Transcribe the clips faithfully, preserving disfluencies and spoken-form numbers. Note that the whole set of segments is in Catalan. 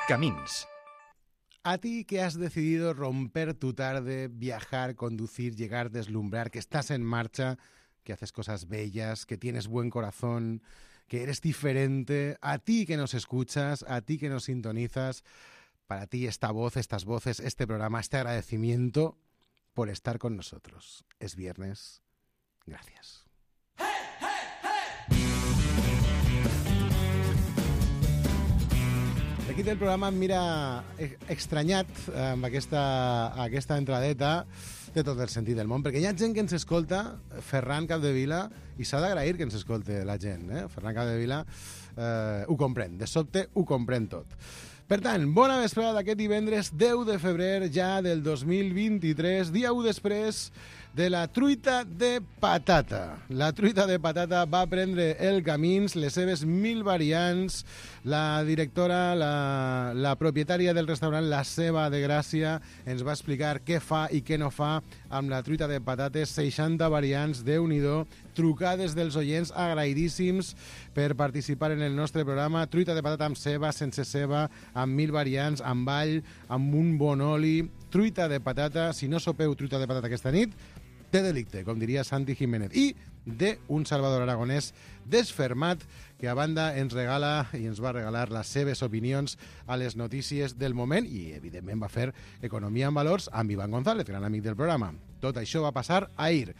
Camins. A ti que has decidido romper tu tarde, viajar, conducir, llegar, deslumbrar, que estás en marcha, que haces cosas bellas, que tienes buen corazón, que eres diferente, a ti que nos escuchas, a ti que nos sintonizas, para ti esta voz, estas voces, este programa, este agradecimiento por estar con nosotros. Es viernes. Gracias. L'equip del programa em mira extranyat amb aquesta, aquesta entradeta, té tot el sentit del món, perquè hi ha gent que ens escolta, Ferran Capdevila, i s'ha d'agrair que ens escolti la gent, eh? Ferran Capdevila eh, ho comprèn, de sobte ho comprèn tot. Per tant, bona vesprada d'aquest divendres deu de febrer ja del dos mil vint-i-tres, dia u després de la truita de patata. La truita de patata va prendre el camins, les seves mil variants. La directora, la, la propietària del restaurant La Ceba de Gràcia ens va explicar què fa i què no fa amb la truita de patates, seixanta variants, Déu-n'hi-do, trucades dels oients, agraïdíssims per participar en el nostre programa. Truita de patata amb ceba, sense ceba, amb mil variants, amb all, amb un bon oli. Truita de patata, si no sopeu truita de patata aquesta nit, té delicte, com diria Santi Jiménez. I d'un Salvador Aragonès desfermat, que a banda ens regala i ens va regalar les seves opinions a les notícies del moment i, evidentment, va fer Economia en Valors amb Ivan González, gran amic del programa. Tot això va passar ahir.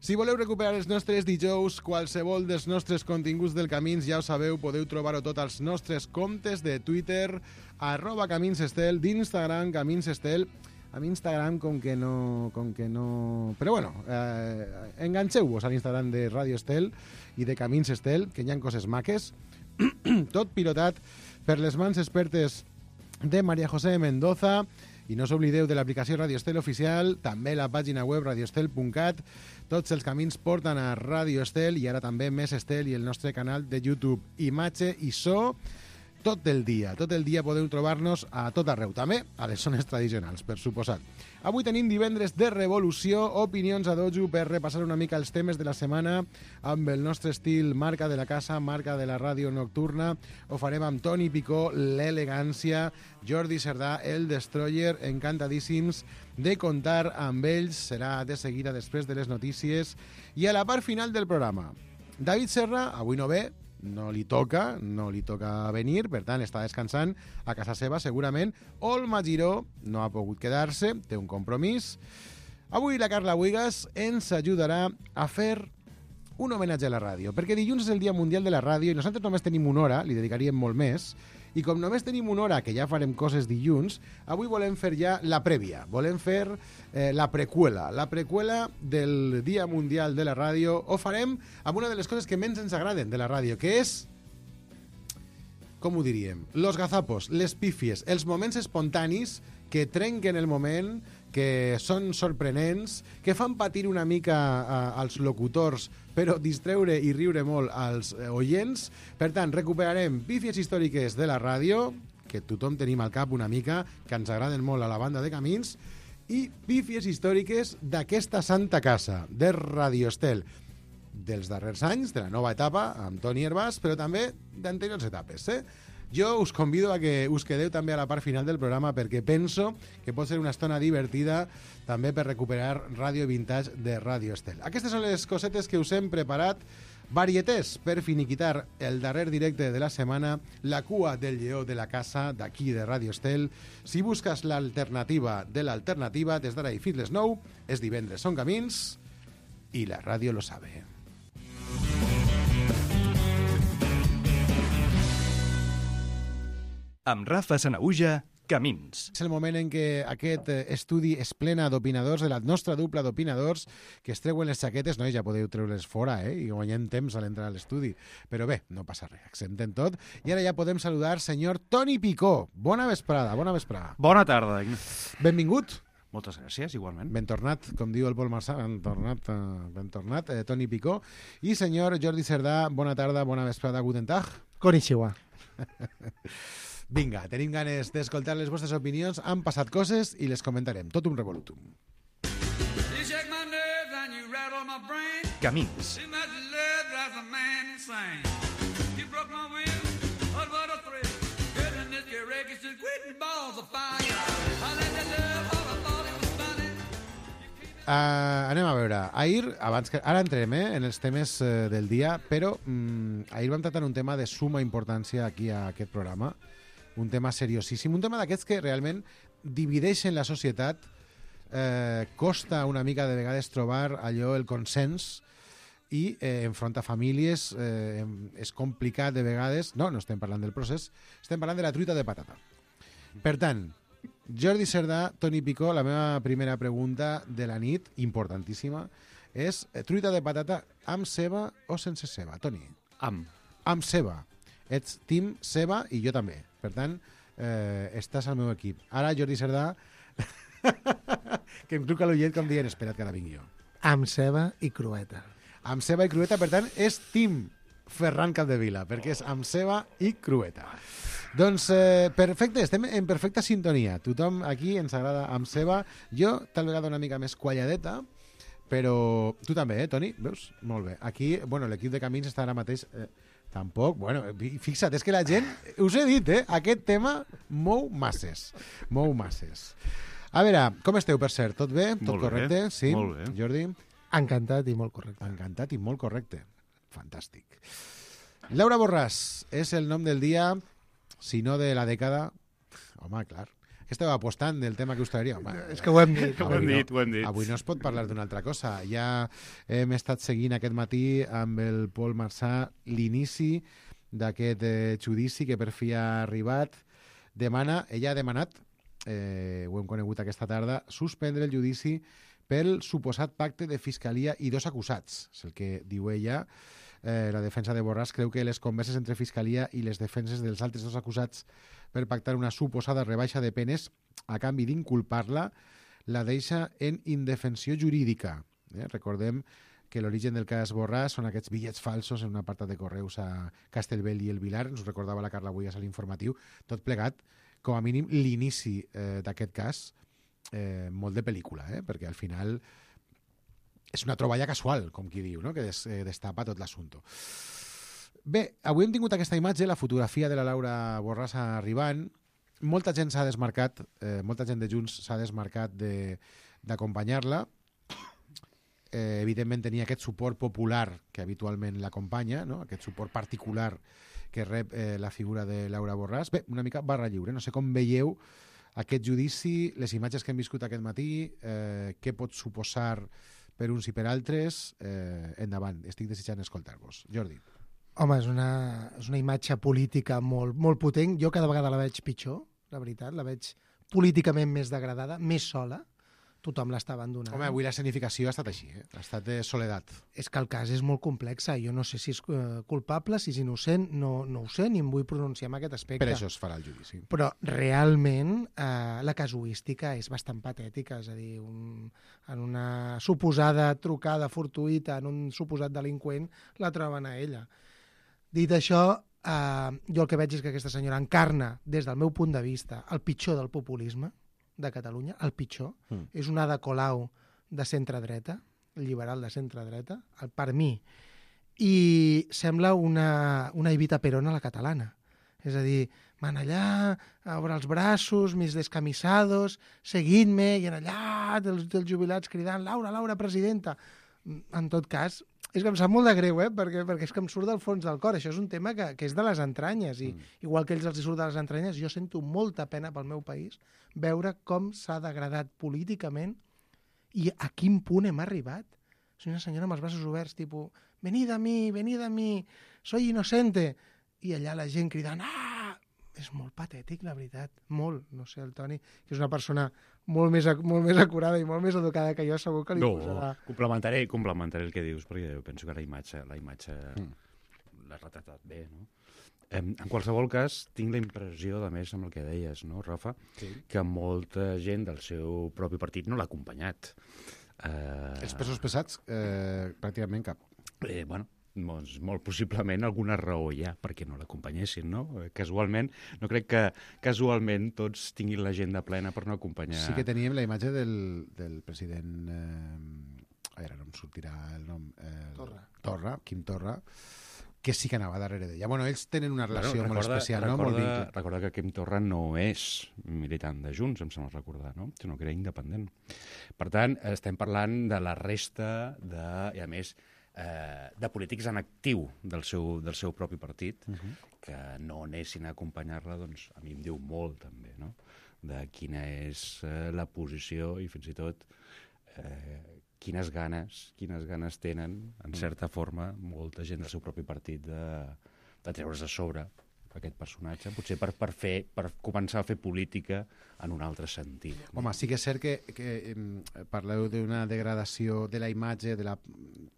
Si voleu recuperar els nostres dijous, qualsevol dels nostres continguts del Camins, ja ho sabeu, podeu trobar-ho tot als nostres comptes de Twitter, arroba Caminsestel, d'Instagram, Caminsestel. Amb Instagram com que no... Com que no... Però bueno, eh, enganxeu-vos a l'Instagram de Radio Estel i de Camins Estel, que hi ha coses maques. Tot pilotat per les mans expertes de María José Mendoza. I no us oblideu de l'aplicació Radio Estel oficial, també la pàgina web radioestel punt cat. Tots els camins porten a Radio Estel i ara també Més Estel i el nostre canal de YouTube. Imatge i so tot el dia. Tot el dia podeu trobar-nos a tot arreu, també a les zones tradicionals, per suposat. Avui tenim divendres de revolució, opinions a dojo per repassar una mica els temes de la setmana amb el nostre estil marca de la casa, marca de la ràdio nocturna. Ho farem amb Toni Picó, l'elegància, Jordi Cerdà, el Destroyer, encantadíssims de contar amb ells. Serà de seguida després de les notícies. I a la part final del programa, David Serra, avui no ve, no li toca, no li toca venir, per tant està descansant a casa seva segurament. Olma Giró no ha pogut quedar-se, té un compromís. Avui la Carla Buigas ens ajudarà a fer un homenatge a la ràdio, perquè dilluns és el Dia Mundial de la Ràdio i nosaltres només tenim una hora, li dedicaríem molt més, i com només tenim una hora, que ja farem coses dilluns, avui volem fer ja la prèvia, volem fer eh, la preqüela, la preqüela del Dia Mundial de la Ràdio. Ho farem amb una de les coses que menys ens agraden de la ràdio, que és, com ho diríem, los gazapos, les pífies, els moments espontanis que trenquen el moment, que són sorprenents, que fan patir una mica eh, als locutors, però distreure i riure molt als eh, oients. Per tant, recuperarem pífies històriques de la ràdio, que tothom tenim al cap una mica, que ens agraden molt a la banda de Camins, i pífies històriques d'aquesta santa casa, de Radio Estel, dels darrers anys, de la nova etapa, amb Toni Hervàs, però també d'anteriors etapes, eh? Jo us convido a que us quedeu també a la part final del programa perquè penso que pot ser una estona divertida també per recuperar Ràdio Vintage de Radio Estel. Aquestes són les cosetes que us hem preparat. Varietés per finiquitar el darrer directe de la setmana, la cua del lleó de la casa d'aquí de Radio Estel. Si busques l'alternativa de l'alternativa, des d'ara i fins les nou, és divendres, són Camins i la ràdio lo sabe. Amb Rafa Sanaüja, Camins. És el moment en què aquest estudi es plena d'opinadors, de la nostra dupla d'opinadors, que es treuen les xaquetes. Nois, ja podeu treure-les fora, eh? I guanyem temps a l'entrar a l'estudi. Però bé, no passa res, acceptem tot. I ara ja podem saludar senyor Toni Picó. Bona vesprada, bona vesprada. Bona tarda. Benvingut. Moltes gràcies, igualment. Ben tornat, com diu el Pol Marçà, ben tornat, ben tornat, eh, Toni Picó. I senyor Jordi Cerdà, bona tarda, bona vesprada, guten tag. Konnichiwa. Vinga, tenim ganes d'escoltar les vostres opinions. Han passat coses i les comentarem. Tot un revolutum. Camins. Uh, anem a veure. Ahir, abans que, ara entrem eh, en els temes uh, del dia, però um, ahir vam tractar un tema de suma importància aquí a aquest programa, un tema seriosíssim, un tema d'aquests que realment divideixen la societat, eh, costa una mica de vegades trobar allò, el consens, i eh, enfronta famílies, eh, és complicat de vegades, no, no estem parlant del procés, estem parlant de la truita de patata. Per tant, Jordi Cerdà, Toni Picó, la meva primera pregunta de la nit, importantíssima, és eh, truita de patata amb ceba o sense ceba? Toni? Amb. Amb ceba. Ets team ceba i jo també. Per tant, eh, estàs al meu equip. Ara, Jordi Cerdà, que em truca l'ullet com dient, espera't que ara vinc jo. Amb ceba i crueta. Amb ceba i crueta, per tant, és team Ferran Capdevila, perquè és amb ceba i crueta. Doncs, eh, perfecte, estem en perfecta sintonia. Tothom aquí ens agrada amb ceba. Jo, tal vegada una mica més qualladeta, però tu també, eh, Toni? Veus? Molt bé. Aquí, bueno, l'equip de Camins està ara mateix... Eh, tampoc, bueno, fixa't, és que la gent, us he dit, eh, aquest tema mou masses. Mou masses. A veure, com esteu, per cert? Tot bé? Tot molt correcte? Bé. Sí? Molt bé. Jordi? Encantat i molt correcte. Encantat i molt correcte. Fantàstic. Laura Borràs és el nom del dia, si no de la dècada. Home, clar. Que esteu apostant del tema que us traeria? Home, és que ho hem dit. Ho hem dit, ho hem dit. Avui no es pot parlar d'una altra cosa. Ja hem estat seguint aquest matí amb el Pol Marsà l'inici d'aquest eh, judici que per fi ha arribat. Demana, ella ha demanat, eh, ho hem conegut aquesta tarda, suspendre el judici pel suposat pacte de fiscalia i dos acusats. És el que diu ella. Eh, la defensa de Borràs creu que les converses entre fiscalia i les defenses dels altres dos acusats per pactar una suposada rebaixa de penes a canvi d'inculpar-la la deixa en indefensió jurídica. Eh? Recordem que l'origen del cas Borràs són aquests bitllets falsos en un apartat de correus a Castellbell i el Vilar, ens ho recordava la Carla Buigas a l'informatiu, tot plegat, com a mínim l'inici eh, d'aquest cas, eh, molt de pel·lícula, eh? Perquè al final és una troballa casual, com qui diu, no? Que des, eh, destapa tot l'assumpte. Bé, avui hem tingut aquesta imatge, la fotografia de la Laura Borràs arribant. Molta gent s'ha desmarcat, eh, molta gent de Junts s'ha desmarcat d'acompanyar-la. Eh, evidentment tenia aquest suport popular que habitualment l'acompanya, no? Aquest suport particular que rep eh, la figura de Laura Borràs. Bé, una mica barra lliure. No sé com veieu aquest judici, les imatges que hem viscut aquest matí, eh, què pot suposar per uns i per altres. Eh, endavant, estic desitjant escoltar-vos. Jordi. Home, és una, és una imatge política molt, molt potent. Jo cada vegada la veig pitjor, la veritat. La veig políticament més degradada, més sola. Tothom l'està abandonant. Home, avui l'escenificació ha estat així, eh? Ha estat de soledat. És que el cas és molt complex. Jo no sé si és eh, culpable, si és innocent, no, no ho sé, ni em vull pronunciar en aquest aspecte. Per això es farà el judici. Però realment eh, la casuística és bastant patètica, és a dir, un, en una suposada trucada fortuïta en un suposat delinqüent la troben a ella. Dit això, eh, jo el que veig és que aquesta senyora encarna, des del meu punt de vista, el pitjor del populisme de Catalunya, el pitjor. Mm. És una Ada Colau de centre-dreta, liberal de centre-dreta, per mi. I sembla una, una Evita Perón a la catalana. És a dir, van allà, obre els braços, mis descamisados, seguint-me, i en allà dels, dels jubilats cridant Laura, Laura, presidenta. En tot cas, és que em sap molt de greu, eh? perquè, perquè és que em surt del fons del cor. Això és un tema que, que és de les entranyes, i mm. igual que ells els surt de les entranyes, jo sento molta pena pel meu país veure com s'ha degradat políticament i a quin punt hem arribat. És una senyora amb els braços oberts, tipus, venid a mi, venid a mi, soy inocente, i allà la gent cridant, ah! És molt patètic, la veritat, molt. No sé, el Toni, que és una persona molt més, molt més acurada i molt més educada que jo, segur que li no, posarà... No, complementaré, complementaré el que dius, perquè penso que la imatge, la imatge mm. l'ha retratat bé, no? En qualsevol cas, tinc la impressió, a més, amb el que deies, no, Rafa, sí. que molta gent del seu propi partit no l'ha acompanyat. Uh... Els pesos pesats, eh, pràcticament cap. Eh, bueno, doncs, molt possiblement alguna raó hi ha perquè no l'acompanyessin, no? Casualment, no crec que casualment tots tinguin l'agenda plena per no acompanyar... Sí que teníem la imatge del, del president... Eh, ara no em sortirà el nom... Eh, Torra. Torra, Quim Torra, que sí que anava darrere d'ella. Bueno, ells tenen una relació bueno, molt recorda, especial, recorda, no? Molt vincle. Recorda que Quim Torra no és militant de Junts, em sembla recordar, no? Sinó que era independent. Per tant, estem parlant de la resta de, i a més, eh, de polítics en actiu del seu, del seu propi partit, uh -huh. que no anessin a acompanyar-la, doncs a mi em diu molt també, no? De quina és eh, la posició i fins i tot eh, quines ganes, quines ganes tenen, en certa forma, molta gent del seu propi partit de, de treure's de sobre aquest personatge, potser per, per, fer, per començar a fer política en un altre sentit. Home, sí que és cert que, que eh, parleu d'una degradació de la imatge, de la,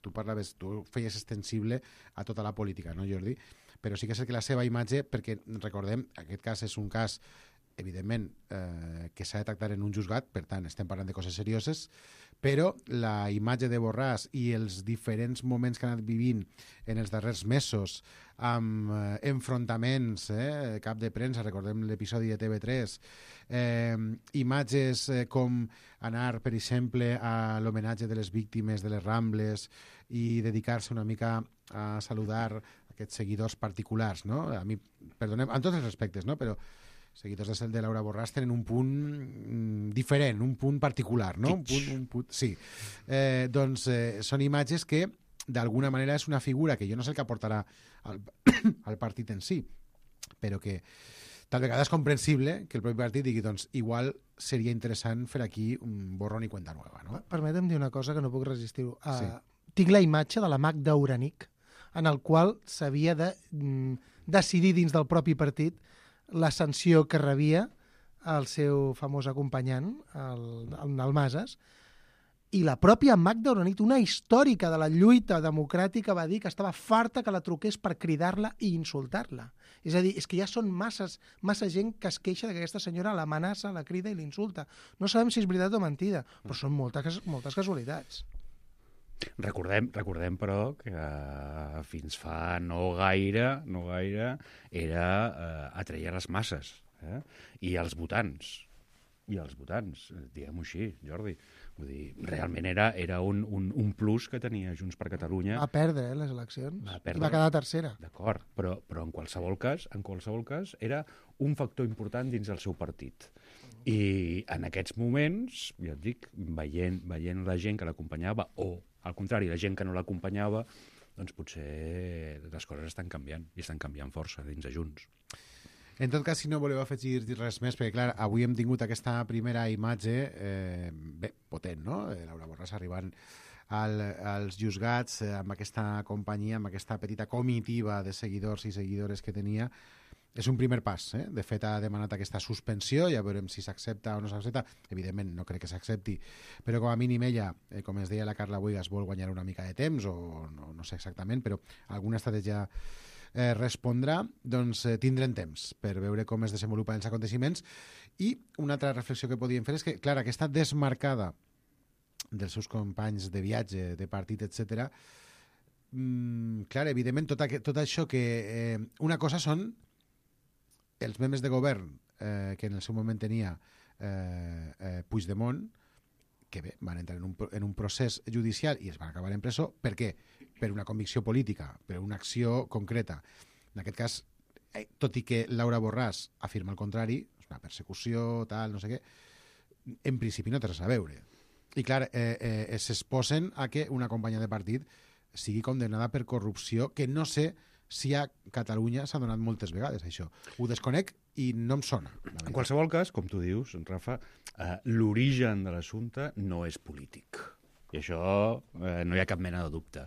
tu parlaves, tu feies extensible a tota la política, no, Jordi? Però sí que és cert que la seva imatge, perquè recordem, aquest cas és un cas evidentment, eh, que s'ha de tractar en un juzgat, per tant, estem parlant de coses serioses, però la imatge de Borràs i els diferents moments que ha anat vivint en els darrers mesos, amb eh, enfrontaments, eh, cap de premsa, recordem l'episodi de T V tres, eh, imatges eh, com anar, per exemple, a l'homenatge de les víctimes de les Rambles i dedicar-se una mica a saludar aquests seguidors particulars, no? A mi, perdonem, en tots els respectes, no? Però seguidors de cel de Laura Borràs tenen un punt mm, diferent, un punt particular, no? Un punt, un punt, sí. Eh, doncs eh, són imatges que, d'alguna manera, és una figura que jo no sé el que aportarà al, al partit en si, però que tal vegada és comprensible que el propi partit digui, doncs, igual seria interessant fer aquí un borrón i cuenta nueva, no? Permetem dir una cosa que no puc resistir. Uh, Sí. Tinc la imatge de la Magda Uranic, en el qual s'havia de mm, decidir dins del propi partit la sanció que rebia el seu famós acompanyant, el, el, el Masas, i la pròpia Magda Uranic, una històrica de la lluita democràtica, va dir que estava farta que la truqués per cridar-la i insultar-la. És a dir, és que ja són masses, massa gent que es queixa que aquesta senyora l'amenaça, la crida i l'insulta. No sabem si és veritat o mentida, però són moltes, moltes casualitats. Recordem, recordem, però, que uh, fins fa no gaire, no gaire, era uh, atreia les masses, eh? I els votants, i els votants, diguem-ho així, Jordi. Vull dir, realment era, era un, un, un plus que tenia Junts per Catalunya. Va perdre, eh, les eleccions, Va perdre. i va quedar tercera. D'acord, però, però en qualsevol cas, en qualsevol cas, era un factor important dins del seu partit. I en aquests moments, ja et dic, veient, veient la gent que l'acompanyava, o al contrari, la gent que no l'acompanyava, doncs potser les coses estan canviant, i estan canviant força dins de Junts. En tot cas, si no voleu afegir res més, perquè clar, avui hem tingut aquesta primera imatge eh, bé, potent, no? Eh, Laura Borràs arribant al, als juzgats eh, amb aquesta companyia, amb aquesta petita comitiva de seguidors i seguidores que tenia. És un primer pas, eh? De fet ha demanat aquesta suspensió, ja veurem si s'accepta o no s'accepta, evidentment no crec que s'accepti, però com a mínim ella, eh, com es deia la Carla Boigas, vol guanyar una mica de temps, o no, no sé exactament, però alguna estratègia eh, respondrà, doncs eh, tindrem temps per veure com es desenvolupen els aconteciments. I una altra reflexió que podíem fer és que, clar, aquesta desmarcada dels seus companys de viatge, de partit, etcètera, mmm, clar, evidentment, tot, aquest, tot això que... Eh, una cosa són els membres de govern eh, que en el seu moment tenia eh, eh, Puigdemont, que bé, van entrar en un, en un procés judicial i es van acabar en presó. Per què? Per una convicció política, per una acció concreta. En aquest cas, eh, tot i que Laura Borràs afirma el contrari, és una persecució, tal, no sé què, en principi no té res a veure. I clar, eh, eh, s'exposen a que una companya de partit sigui condemnada per corrupció, que no sé si a Catalunya s'ha donat moltes vegades, això. Ho desconec i no em sona. En qualsevol cas, com tu dius, Rafa, eh, l'origen de l'assumpte no és polític. I això eh, no hi ha cap mena de dubte.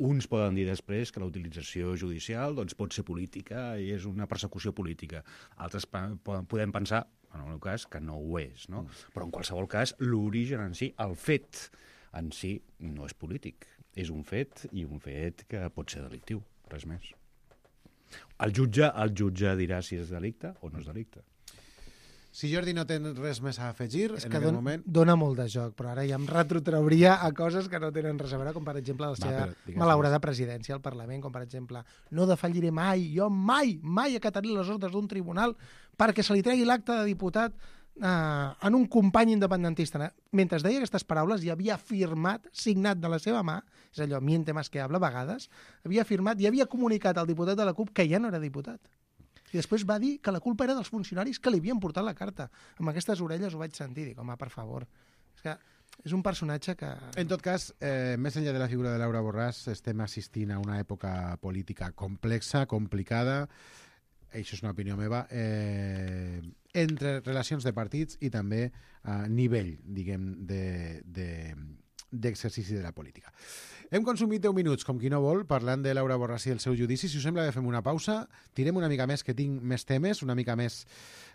Uns poden dir després que la utilització judicial doncs, pot ser política i és una persecució política. Altres podem pensar, en el meu cas, que no ho és. No? Però en qualsevol cas, l'origen en si, el fet en si, no és polític. És un fet i un fet que pot ser delictiu, res més. El jutge, el jutge dirà si és delicte o no és delicte. Si Jordi no té res més a afegir, és en que aquest don, moment... dona molt de joc, però ara ja em retrotrauria a coses que no tenen res a veure, com per exemple la seva malaurada presidència al Parlament, com per exemple, no defalliré mai, jo mai, mai acataré les ordres d'un tribunal perquè se li tregui l'acte de diputat Uh, en un company independentista. Mentre deia aquestes paraules, i havia firmat, signat de la seva mà, és allò, miente más que habla, a vegades, havia firmat i havia comunicat al diputat de la CUP que ja no era diputat. I després va dir que la culpa era dels funcionaris que li havien portat la carta. Amb aquestes orelles ho vaig sentir. Dic, home, per favor. És que és un personatge que... En tot cas, eh, més enllà de la figura de Laura Borràs, estem assistint a una època política complexa, complicada, això és una opinió meva, eh, entre relacions de partits i també a nivell, diguem, de, de, d'exercici de la política. Hem consumit deu minuts, com qui no vol, parlant de Laura Borràs i el seu judici. Si us sembla, fem una pausa, tirem una mica més, que tinc més temes, una mica més...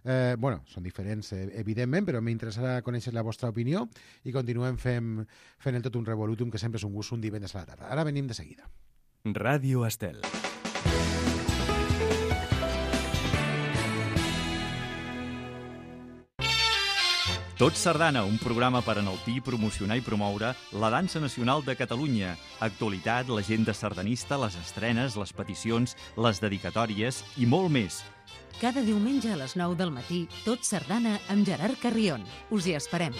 Eh, bueno, són diferents, eh, evidentment, però m'interessarà conèixer la vostra opinió i continuem fent, fent el tot un revolutum, que sempre és un gust un divendres a la tarda. Ara venim de seguida. Ràdio Estel. Tot Sardana, un programa per enaltir, promocionar i promoure la dansa nacional de Catalunya. Actualitat, l'agenda sardanista, les estrenes, les peticions, les dedicatòries i molt més. Cada diumenge a les nou del matí, Tot Sardana amb Gerard Carrion. Us hi esperem.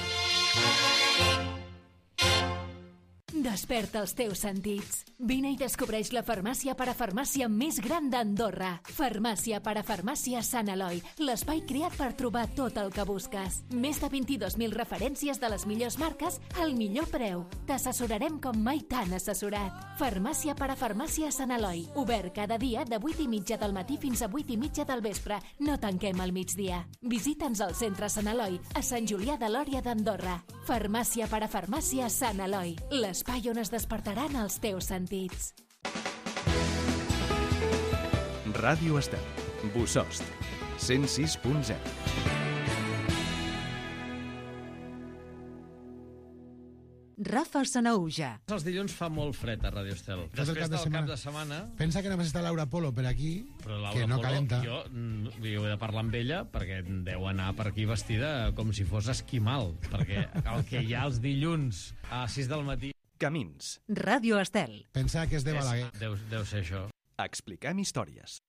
Desperta els teus sentits. Vine i descobreix la farmàcia parafarmàcia més gran d'Andorra. Farmàcia parafarmàcia Sant Eloi, l'espai creat per trobar tot el que busques. Més de vint-i-dos mil referències de les millors marques al millor preu. T'assessorarem com mai t'han assessorat. Farmàcia parafarmàcia Sant Eloi, obert cada dia de vuit i mitja del matí fins a vuit i mitja del vespre. No tanquem al migdia. Visita'ns al centre Sant Eloi, a Sant Julià de Lòria d'Andorra. Farmàcia parafarmàcia Sant Eloi, l'espai on es despertaran els teus sentits. Ràdio Estel. Bosost. cent sis punt zero. Rafa Sanauja. Els dilluns fa molt fred a Radio Estel. Tot el Després cap de del setmana. cap de setmana... Pensa que només està Laura Polo per aquí, Però Laura que no Polo, calenta. Jo, mm, jo he de parlar amb ella perquè deu anar per aquí vestida com si fos esquimal, perquè el que hi ha els dilluns a sis del matí... Camins. Ràdio Estel. Pensa que és de Balaguer. És, deu, deu ser això. Expliquem històries.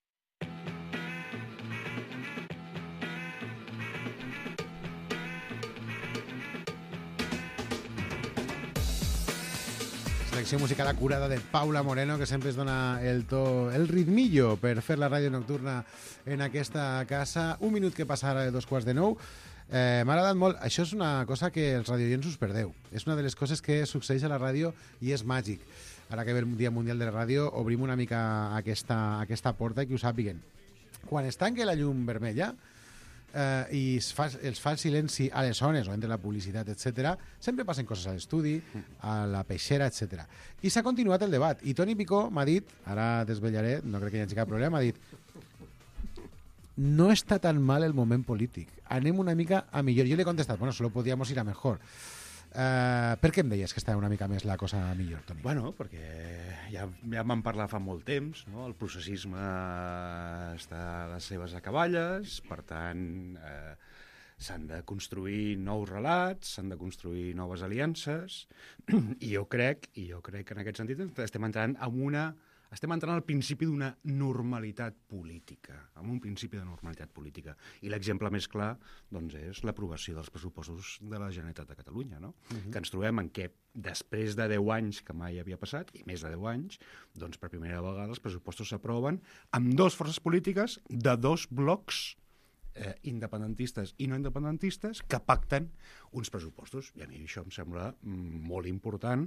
Selecció musical acurada de Paula Moreno, que sempre es dona el to, el ritmillo per fer la ràdio nocturna en aquesta casa. Un minut que passa ara de dos quarts de nou. Eh, M'ha agradat molt. Això és una cosa que els radioients us perdeu. És una de les coses que succeeix a la ràdio i és màgic. Ara que ve el Dia Mundial de la Ràdio, obrim una mica aquesta, aquesta porta i que ho sàpiguen. Quan es tanca la llum vermella eh, i es fa, els fa el silenci a les zones o entre la publicitat, etcètera, sempre passen coses a l'estudi, a la peixera, etcètera. I s'ha continuat el debat. I Toni Picó m'ha dit, ara desvetllaré, no crec que hi hagi cap problema, m'ha dit: no està tan mal el moment polític. Anem una mica a millor. Jo li he contestat, bueno, solo podíamos ir a mejor. Uh, per què em deies que estava una mica més la cosa millor, Toni? Bueno, perquè ja, ja vam parlar fa molt temps, no? El processisme està a les seves acaballes, per tant, eh, s'han de construir nous relats, s'han de construir noves aliances, i jo crec, i jo crec que en aquest sentit estem entrant en una... Estem entrant al principi d'una normalitat política, amb un principi de normalitat política. I l'exemple més clar doncs, és l'aprovació dels pressupostos de la Generalitat de Catalunya, no? Uh-huh. Que ens trobem en què, després de deu anys, que mai havia passat, i més de deu anys, doncs per primera vegada els pressupostos s'aproven amb dues forces polítiques de dos blocs eh, independentistes i no independentistes que pacten uns pressupostos. I a mi això em sembla mm, molt important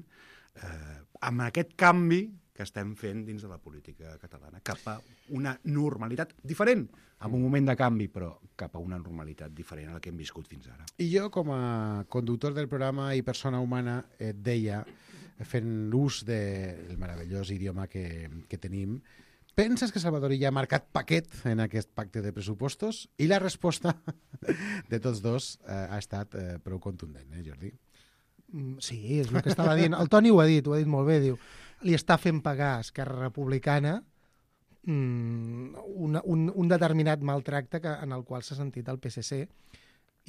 eh, amb aquest canvi que estem fent dins de la política catalana, cap a una normalitat diferent, en un moment de canvi, però cap a una normalitat diferent a la que hem viscut fins ara. I jo, com a conductor del programa i persona humana, et deia, fent l'ús del meravellós idioma que, que tenim, penses que Salvador Illa ha marcat paquet en aquest pacte de pressupostos? I la resposta de tots dos eh, ha estat eh, prou contundent, eh, Jordi? Sí, és el que estava dient. El Toni ho ha dit, ho ha dit molt bé, diu, li està fent pagar a Esquerra Republicana mm, una, un, un determinat maltracte que, en el qual s'ha sentit el P S C,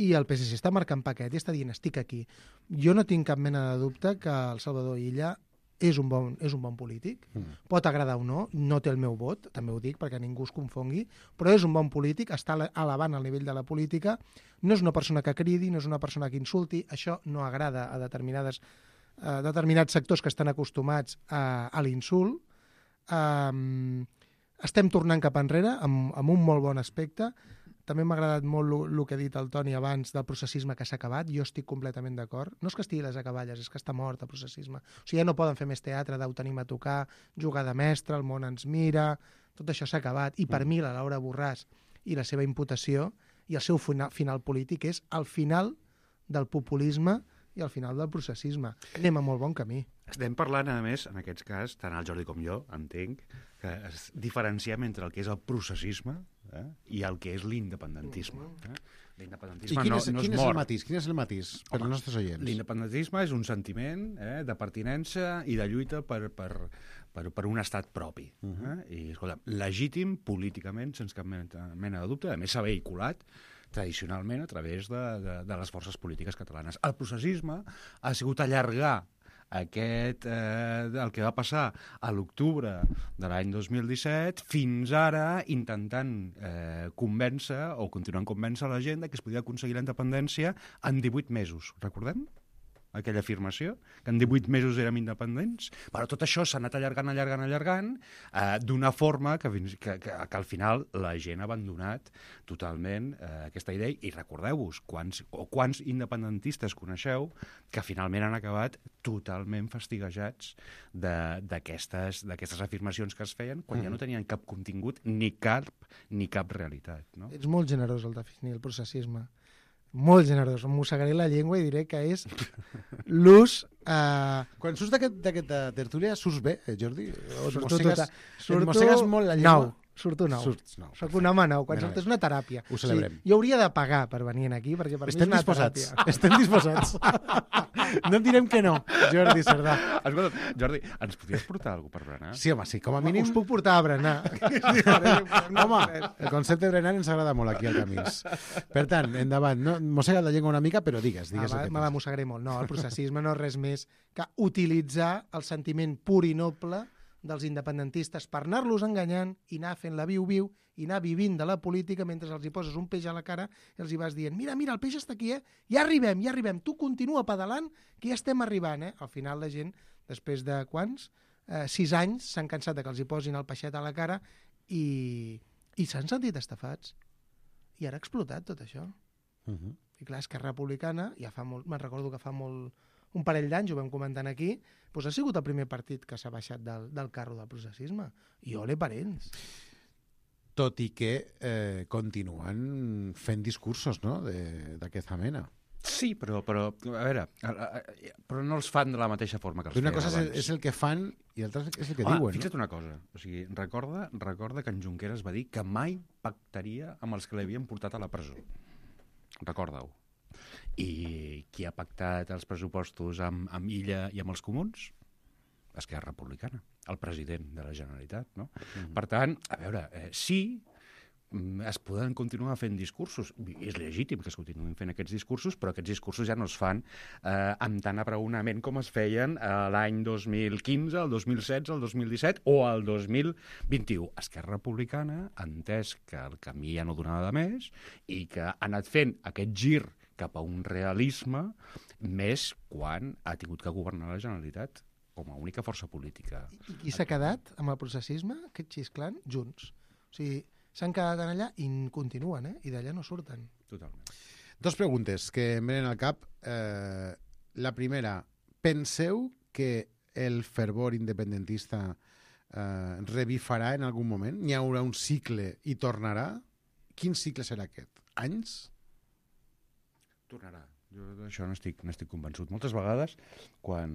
i el P S C està marcant paquet i està dient estic aquí. Jo no tinc cap mena de dubte que el Salvador Illa és un bon, és un bon polític. Mm. Pot agradar o no, no té el meu vot, també ho dic perquè ningú es confongui, però és un bon polític, està elevant el nivell de la política, no és una persona que cridi, no és una persona que insulti, això no agrada a determinades, a determinats sectors que estan acostumats a, a l'insult. Um, estem tornant cap enrere amb, amb un molt bon aspecte. També m'ha agradat molt el que ha dit el Toni abans del processisme que s'ha acabat. Jo estic completament d'acord. No és que estigui a les acaballes, és que està mort el processisme. O sigui, ja no poden fer més teatre, Déu tenim a tocar, jugar de mestre, el món ens mira... Tot això s'ha acabat. I per mm. mi la Laura Borràs i la seva imputació i el seu final, final polític és el final del populisme i al final del processisme. Anem a molt bon camí. Estem parlant, a més, en aquest cas, tant el Jordi com jo, entenc, que es diferenciem entre el que és el processisme eh, i el que és l'independentisme. Eh? L'independentisme I quin no, és, no quin es és mor. el matís? Quin és el matís per als nostres oients? L'independentisme és un sentiment eh, de pertinença i de lluita per, per, per, per un estat propi. Uh -huh. eh? I, escolta, legítim políticament, sense cap mena de dubte, a més s'ha vehiculat tradicionalment a través de, de, de les forces polítiques catalanes. El processisme ha sigut allargar aquest, eh, el que va passar a l'octubre de l'any dos mil disset fins ara intentant eh, convèncer o continuant convèncer la gent que es podia aconseguir la independència en divuit mesos. Recordem aquella afirmació? Que en divuit mesos érem independents? Però tot això s'ha anat allargant, allargant, allargant eh, d'una forma que, que, que, que al final la gent ha abandonat totalment eh, aquesta idea. I recordeu-vos, quants, o quants independentistes coneixeu que finalment han acabat totalment fastiguejats d'aquestes d'aquestes afirmacions que es feien quan mm. ja no tenien cap contingut ni cap, ni cap realitat. No? Ets molt generós al definir el processisme. Molt generós. Em mossegaré la llengua i diré que és l'ús... Eh... Quan surts d'aquesta tertúlia, surts bé, eh, Jordi? O surto mossegues, tota... surto... mossegues molt la llengua? Nou. Surto nou. Surts nou. Soc un home nou. Quan surto és una teràpia. Ho celebrem. O sigui, jo hauria de pagar per venir aquí, perquè per Estem mi és una disposats. teràpia. Estem disposats. No et direm que no, Jordi Cerdà. Escolta, Jordi, ens podries portar alguna per berenar? Sí, home, sí, com a mínim... Us puc portar a berenar. Home, el concepte de berenar ens agrada molt aquí al Camins. Per tant, endavant, no, mossega la llengua una mica, però digues, digues ah, el que me la mossegaré molt. No, el processisme no és res més que utilitzar el sentiment pur i noble dels independentistes per anar-los enganyant i anar fent la viu-viu i anar vivint de la política mentre els hi poses un peix a la cara i els hi vas dient mira, mira, el peix està aquí, eh? Ja arribem, ja arribem. Tu continua pedalant, que ja estem arribant, eh? Al final la gent, després de quants? Eh, sis anys, s'han cansat de que els hi posin el peixet a la cara i, i s'han sentit estafats. I ara ha explotat tot això. Uh -huh. I clar, Esquerra Republicana, ja fa molt, me'n recordo que fa molt, un parell d'anys, ho vam comentant aquí, doncs ha sigut el primer partit que s'ha baixat del, del carro del processisme. I ole per ells. Tot i que eh, continuen fent discursos, no?, d'aquesta mena. Sí, però, però, a veure, però no els fan de la mateixa forma que els feien abans. Una cosa abans. és el que fan i l'altra és el que Home, diuen. Fixa't no? una cosa, o sigui, recorda, recorda que en Junqueras va dir que mai pactaria amb els que l'havien portat a la presó. Recorda-ho. I qui ha pactat els pressupostos amb, amb Illa i amb els comuns? Esquerra Republicana, el president de la Generalitat, no? Mm-hmm. Per tant, a veure, eh, sí, es poden continuar fent discursos. És legítim que es continuïn fent aquests discursos, però aquests discursos ja no es fan eh, amb tant abraonament com es feien eh, l'any dos mil quinze, el dos mil setze, el dos mil disset o el dos mil vint-i-u. Esquerra Republicana ha entès que el camí ja no donava de més i que ha anat fent aquest gir cap a un realisme més quan ha tingut que governar la Generalitat com a única força política. I qui s'ha quedat amb el processisme, aquest xisclant? Junts. O sigui, s'han quedat allà i continuen, eh? I d'allà no surten. Totalment. Dos preguntes que em venen al cap. Eh, la primera, penseu que el fervor independentista eh, revifarà en algun moment? N'hi haurà un cicle i tornarà? Quin cicle serà aquest? Anys? Tornarà. Jo d'això no estic, no estic convençut. Moltes vegades, quan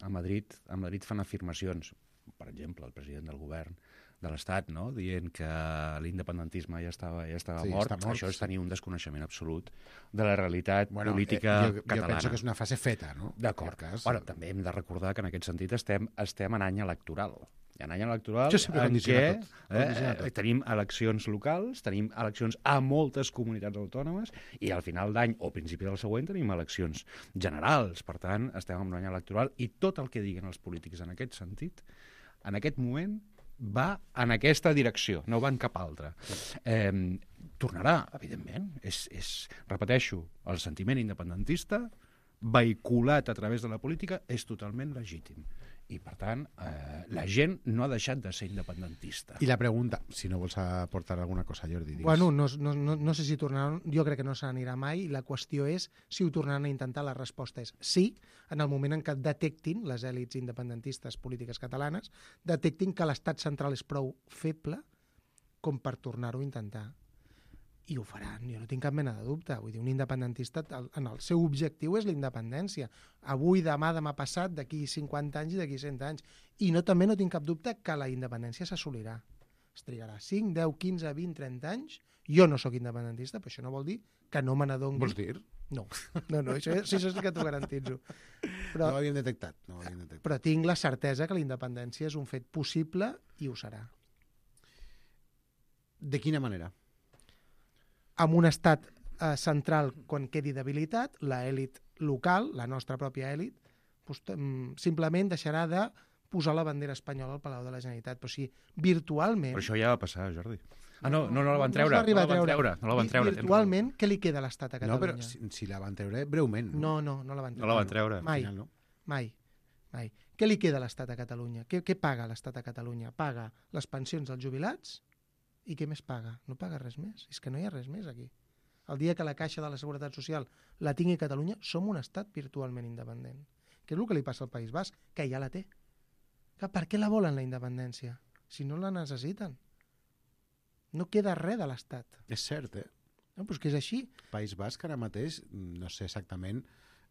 a Madrid, a Madrid fan afirmacions, per exemple, el president del govern de l'Estat, no?, dient que l'independentisme ja estava, ja estava sí, mort, mort, això és sí. tenir un desconeixement absolut de la realitat bueno, política eh, jo, catalana. Jo penso que és una fase feta, no? D'acord. Bueno, també hem de recordar que en aquest sentit estem, estem en any electoral. Hi ha un any electoral Això sempre en què condiciona tot. eh, Condiciona tot. eh, tenim eleccions locals, tenim eleccions a moltes comunitats autònomes i al final d'any o principi del següent tenim eleccions generals. Per tant, estem en un any electoral i tot el que diguen els polítics en aquest sentit, en aquest moment, va en aquesta direcció, no va en cap altra. Eh, tornarà, evidentment. És, és, repeteixo, el sentiment independentista vehiculat a través de la política és totalment legítim. I, per tant, eh, la gent no ha deixat de ser independentista. I la pregunta, si no vols aportar alguna cosa, Jordi, digues. Bueno, no, no, no, no sé si tornaran, jo crec que no se n'anirà mai, i la qüestió és si ho tornaran a intentar. La resposta és sí, en el moment en què detectin, les èlits independentistes polítiques catalanes, detectin que l'estat central és prou feble com per tornar-ho a intentar. I ho faran, jo no tinc cap mena de dubte. Vull dir, un independentista, en el seu objectiu és la independència. Avui, demà, demà passat, d'aquí cinquanta anys i d'aquí cent anys. I no, també no tinc cap dubte que la independència s'assolirà. Es trigarà cinc, deu, quinze, vint, trenta anys. Jo no sóc independentista, però això no vol dir que no me n'adongui. Vols dir? No, no, no, això, això sí que t'ho garantitzo. Però, no ho havíem detectat. No ho havíem detectat. Però tinc la certesa que la independència és un fet possible i ho serà. De quina manera? Amb un estat eh, central, quan quedi debilitat, l'elit local, la nostra pròpia elit, doncs, simplement deixarà de posar la bandera espanyola al Palau de la Generalitat. Però sí, virtualment... Però això ja va passar, Jordi. Ah, no, no, no la van treure. No, no, no la van treure. No la van treure. Virtualment, què li queda a l'Estat a Catalunya? No, però si, si la van treure breument. No, no, no la van treure. No la van treure. Mai, Final, no? mai, mai. Què li queda a l'Estat a Catalunya? Què, què paga l'Estat a Catalunya? Paga les pensions dels jubilats i què més paga? No paga res més. És que no hi ha res més aquí. El dia que la Caixa de la Seguretat Social la tingui a Catalunya, som un estat virtualment independent. Què és el que li passa al País Basc? Que ja la té. Que per què la volen, la independència? Si no la necessiten. No queda res de l'estat. És cert, eh? No, però és que és així. País Basc ara mateix, no sé exactament,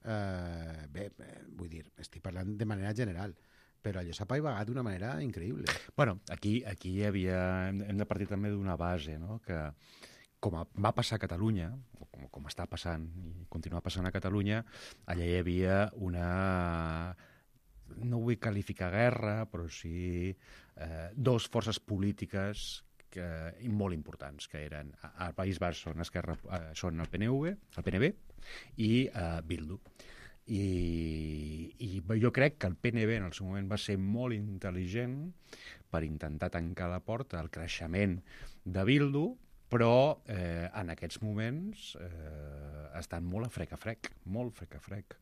eh, bé, vull dir, estic parlant de manera general, però allò s'ha paivagat d'una manera increïble. Bueno, aquí, aquí hi havia, hem de partir també d'una base, no?, que com va passar a Catalunya, o com, com està passant i continua passant a Catalunya, allà hi havia una, no vull qualificar guerra, però sí eh, dos forces polítiques que, molt importants, que eren al País Basc són, Esquerra, eh, són el P N V, el P N V i eh, Bildu. I, I jo crec que el P N V en el seu moment va ser molt intel·ligent per intentar tancar la porta al creixement de Bildu, però eh, en aquests moments eh, estan molt a frec a frec, molt frec a frec.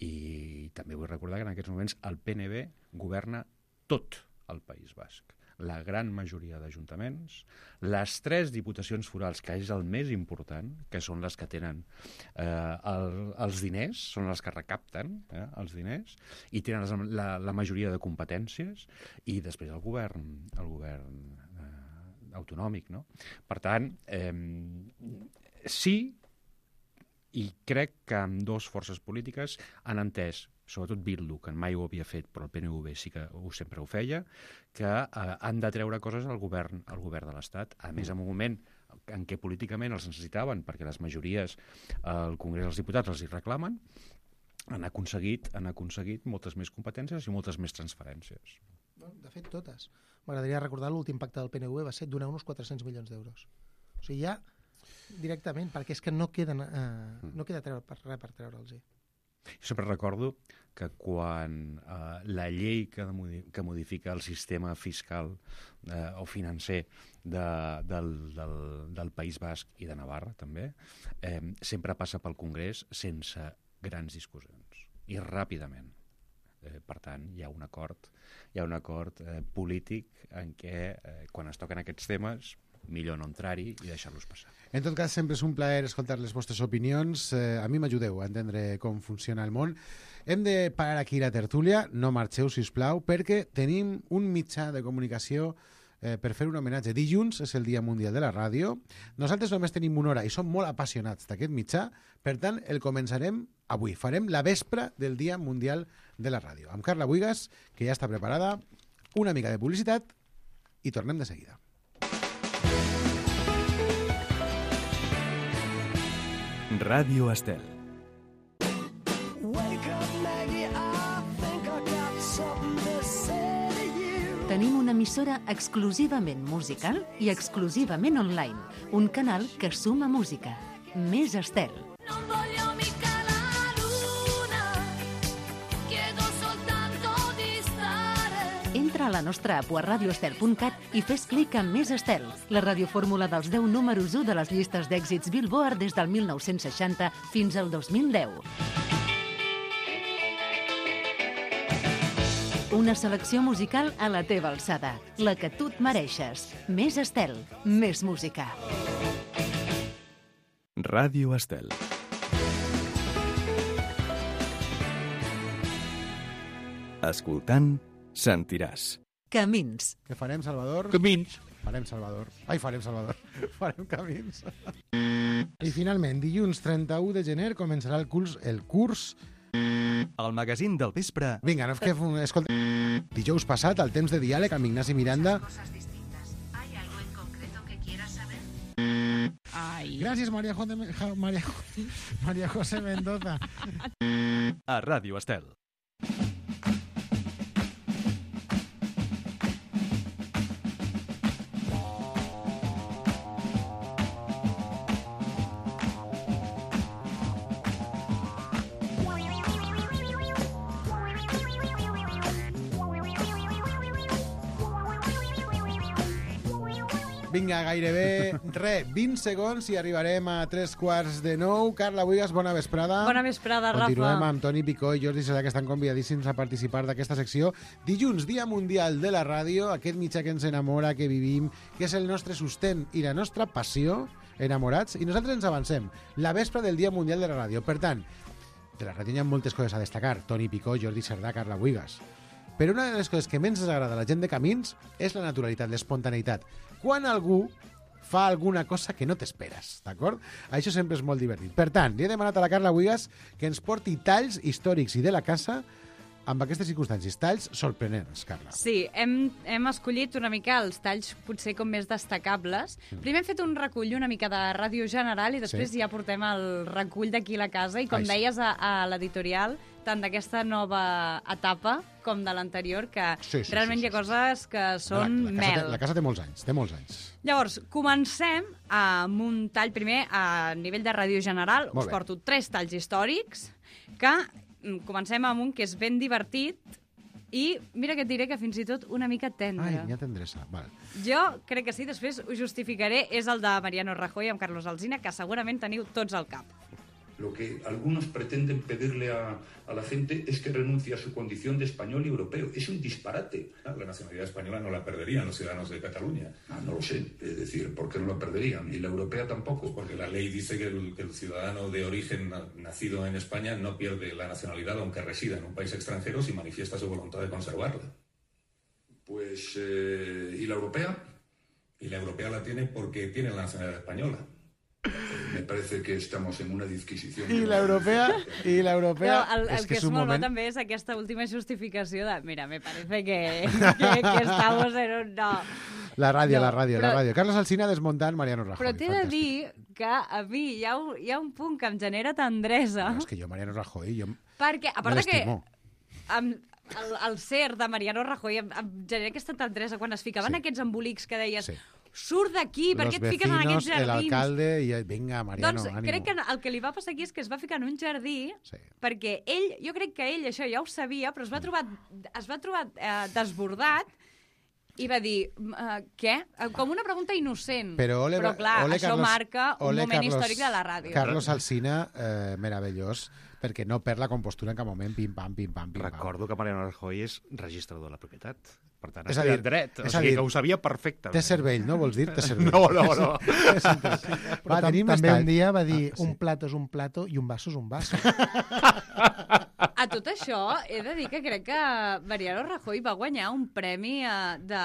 I també vull recordar que en aquests moments el P N V governa tot el País Basc. La gran majoria d'ajuntaments, les tres diputacions forals, que és el més important, que són les que tenen eh, el, els diners, són les que recapten eh, els diners, i tenen la, la majoria de competències, i després el govern, el govern eh, autonòmic, no? Per tant, eh, sí, i crec que amb dues forces polítiques han entès, sobretot Bildu, que mai ho havia fet, però el P N V sí que ho, sempre ho feia, que eh, han de treure coses al govern, al govern de l'Estat. A més, en un moment en què políticament els necessitaven, perquè les majories al Congrés dels Diputats els hi reclamen, han aconseguit, han aconseguit moltes més competències i moltes més transferències. De fet, totes. M'agradaria recordar l'últim pacte del P N V va ser donar uns quatre-cents milions d'euros. O sigui, ja directament, perquè és que no, queden, eh, no queda treure per res per treure'ls-hi. Jo sempre recordo que quan eh, la llei que, que modifica el sistema fiscal eh, o financer de, del, del, del País Basc i de Navarra, també, eh, sempre passa pel Congrés sense grans discussions i ràpidament. Eh, per tant, hi ha un acord, hi ha un acord eh, polític en què, eh, quan es toquen aquests temes, millor no entrar-hi i deixar-los passar. En tot cas, sempre és un plaer escoltar les vostres opinions. Eh, a mi m'ajudeu a entendre com funciona el món. Hem de parar aquí la tertúlia, no marxeu, sisplau, perquè tenim un mitjà de comunicació eh, per fer un homenatge. Dilluns és el Dia Mundial de la Ràdio. Nosaltres només tenim una hora i som molt apassionats d'aquest mitjà, per tant, el començarem avui. Farem la vespra del Dia Mundial de la Ràdio. Amb Carla Buigas, que ja està preparada, una mica de publicitat i tornem de seguida. Ràdio Estel. Tenim una emissora exclusivament musical i exclusivament online. Un canal que suma música. Més Estel. Non voglio mica la luna, chiedo soltanto di stare. Entra a la nostra app o a radioestel punt cat i fes clic en Més Estel, la radiofórmula dels deu números u de les llistes d'èxits Billboard des del mil nou-cents seixanta fins al dos mil deu. Una selecció musical a la teva alçada, la que tu et mereixes. Més Estel, més música. Ràdio Estel. Escoltant, sentiràs. Camins. Què farem, Salvador? Camins. Farem Salvador. Ai, farem Salvador. Farem camins. I finalment, dilluns trenta-u de gener començarà el curs, el curs El magazín del vespre. Vinga, no, que, escolta, dijous passat, al temps de diàleg amb Ignasi Miranda. ¿Hay algo en concreto que quieras saber? Ai. Gràcies, Maria, José, Maria, Maria José Mendoza. A Ràdio Estel. Vinga, gairebé, re, vint segons i arribarem a tres quarts de nou. Carla Buigas, bona vesprada. Bona vesprada, Rafa. Continuem amb Toni Picó i Jordi Serà, que estan convidadíssims a participar d'aquesta secció. Dilluns, Dia Mundial de la Ràdio, aquest mitjà que ens enamora, que vivim, que és el nostre sostén i la nostra passió, enamorats, i nosaltres ens avancem. La vespre del Dia Mundial de la Ràdio. Per tant, de la ràdio hi ha moltes coses a destacar. Toni Picó, Jordi Serà, Carla Buigas. Però una de les coses que menys ens agrada a la gent de Camins és la naturalitat, l'espontaneïtat. Quan algú fa alguna cosa que no t'esperes, d'acord? Això sempre és molt divertit. Per tant, li he demanat a la Carla Buigas que ens porti talls històrics i de la casa amb aquestes circumstàncies, talls sorprenents, Carla. Sí, hem, hem escollit una mica els talls potser com més destacables. Mm. Primer hem fet un recull una mica de Ràdio General i després sí. ja portem el recull d'aquí a la casa i com Ai, deies a, a l'editorial, tant d'aquesta nova etapa com de l'anterior, que sí, sí, realment sí, sí, hi ha coses que són la, la mel. Té, la casa té molts anys, té molts anys. Llavors, comencem amb un tall primer a nivell de Ràdio General. Us porto tres talls històrics que comencem amb un que és ben divertit i mira que et diré que fins i tot una mica tendre. Ai, n'hi ha tendresa, val. Jo crec que sí, després ho justificaré. És el de Mariano Rajoy amb Carlos Alsina, que segurament teniu tots al cap. Lo que algunos pretenden pedirle a, a la gente es que renuncie a su condición de español y europeo. Es un disparate. La nacionalidad española no la perderían los ciudadanos de Cataluña. Ah, no lo sé. Es decir, ¿por qué no la perderían? ¿Y la europea tampoco? Porque la ley dice que el, que el ciudadano de origen nacido en España no pierde la nacionalidad aunque resida en un país extranjero si manifiesta su voluntad de conservarla. Pues, eh, ¿y la europea? Y la europea la tiene porque tiene la nacionalidad española. Me parece que estamos en una disquisición. I l'europea, i l'europea... No, el, el és que, que és, és un molt moment... bo també és aquesta última justificació de mira, me parece que, que, que estamos en un... No. La ràdio, no, la ràdio, però, la ràdio. Carlos Alsina desmuntant Mariano Rajoy. Però t'he de dir que a mi hi ha, un, hi ha un punt que em genera tendresa. No, és que jo Mariano Rajoy... Jo perquè, a part me de que... l'estimo. El, el ser de Mariano Rajoy em, em genera aquesta tendresa quan es ficaven sí. aquests embolics que deies... Sí. Surt d'aquí, per què et fiques en aquests jardins? L'alcalde i vinga, Mariano, doncs, ànimo. Crec que el que li va passar aquí és que es va ficar en un jardí sí. perquè ell, jo crec que ell això ja ho sabia, però es va trobar, es va trobar eh, desbordat i va dir, uh, què? Com una pregunta innocent. Però, ole, però clar, ole, això Carlos, marca un ole, moment Carlos, històric de la ràdio. Carlos Alsina, eh, meravellós, perquè no perd la compostura en cap moment, pim-pam, pim-pam, pim-pam. Recordo que Mariano Rajoy és registrador de la propietat. Per tant, és ha estudiat dret. O sigui, dir, que ho sabia perfectament. Té cervell, no vols dir? Té cervell. No, no, no. Però va, tenim també estat... un dia va dir ah, sí. un plato és un plato i un vaso és un vaso. A tot això, he de dir que crec que Mariano Rajoy va guanyar un premi uh, de...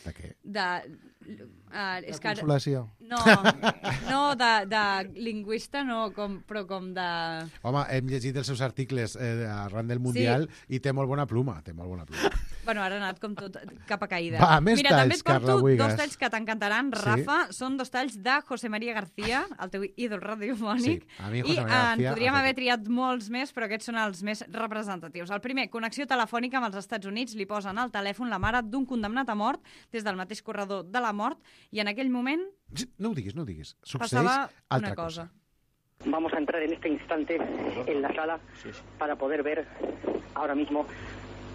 De què? De... Uh, de consolació. Que, no, no de, de lingüista, no, com, però com de... Home, hem llegit els seus articles eh, arran del Mundial sí. i té molt bona pluma, té molt bona pluma. Bueno, ara ha anat com tot cap a caïda. Va, més Mira, també talls, et porto Carla Buigas. dos talls que t'encantaran, Sí. Rafa. Són dos talls de José María García, el teu ídol radiofònic. Sí, a mi I José María eh, García... en podríem ha haver fet- triat molts més, però aquests són els més representatius. El primer, connexió telefònica amb els Estats Units, li posen al telèfon la mare d'un condemnat a mort des del mateix corredor de la mort, i en aquell moment No ho diguis, no ho diguis. Succeeix passava altra una cosa. Vamos a entrar en este instante en la sala para poder ver ahora mismo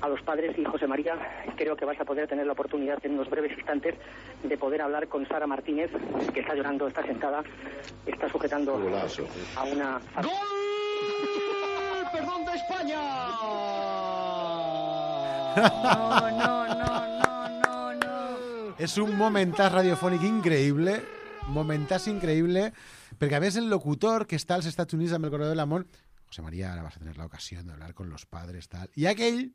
a los padres y José María. Creo que vais a poder tener la oportunidad en unos breves instantes de poder hablar con Sara Martínez, que está llorando, está sentada, está sujetando a una... ¡Gol! ¡Perdón de España! No, no, no, no, no, no. És un momentàs radiofònic increïble, momentàs increïble, perquè a més el locutor que està als Estats Units amb el corredor de l'amor, José María, ara vas a tener la ocasión de hablar con los padres, tal. I aquell...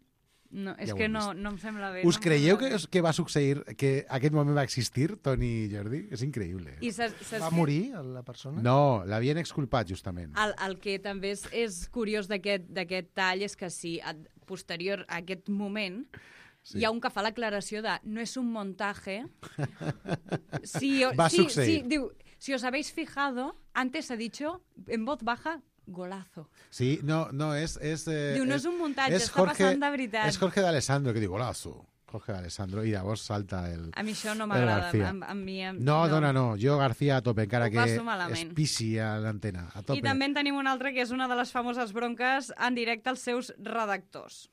No, és Ja ho que hem no, vist. no em sembla bé. Us no em creieu sembla que, bé. que va succeir, que aquest moment va existir, Toni i Jordi? És increïble. I saps, saps Va què? morir la persona? No, l'havien exculpat, justament. El, el que també és, és curiós d'aquest d'aquest tall és que si a, posterior a aquest moment Sí. hi ha un que fa l'aclaració de no és un montaje. Si, o- Va si, succeir. si, diu, si os habéis fijado, antes ha dicho en voz baja golazo. Sí, no, no, és... és eh, Diu, no és un muntatge, és està passant de veritat. És Jorge d'Alessandro, que diu golazo. Jorge d'Alessandro, i llavors salta el... A mi això no el m'agrada. García. A, a mi, a, No, dona, no. Jo García a tope, encara Ho que passo malament. es pisi a l'antena. A tope. I també en tenim un altre que és una de les famoses bronques en directe als seus redactors.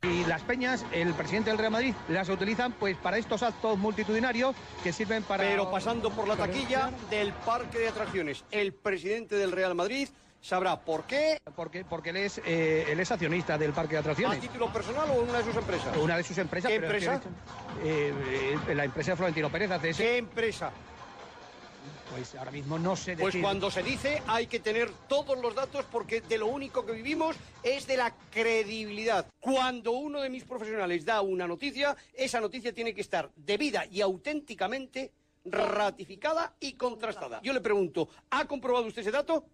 Y las peñas, el presidente del Real Madrid, las utilizan pues para estos actos multitudinarios que sirven para... Pero pasando por la taquilla del parque de atracciones, el presidente del Real Madrid sabrá por qué. Porque, porque él, es, eh, él es accionista del parque de ¿A atracciones. título personal o en una de sus empresas? Una de sus empresas. ¿Qué pero empresa? accionista, eh, eh, la empresa de Florentino Pérez A C S. ¿Qué empresa? Pues ahora mismo no sé decir. Pues cuando se dice hay que tener todos los datos porque de lo único que vivimos es de la credibilidad. Cuando uno de mis profesionales da una noticia, esa noticia tiene que estar debida y auténticamente ratificada y contrastada. Yo le pregunto, ¿ha comprobado usted ese dato?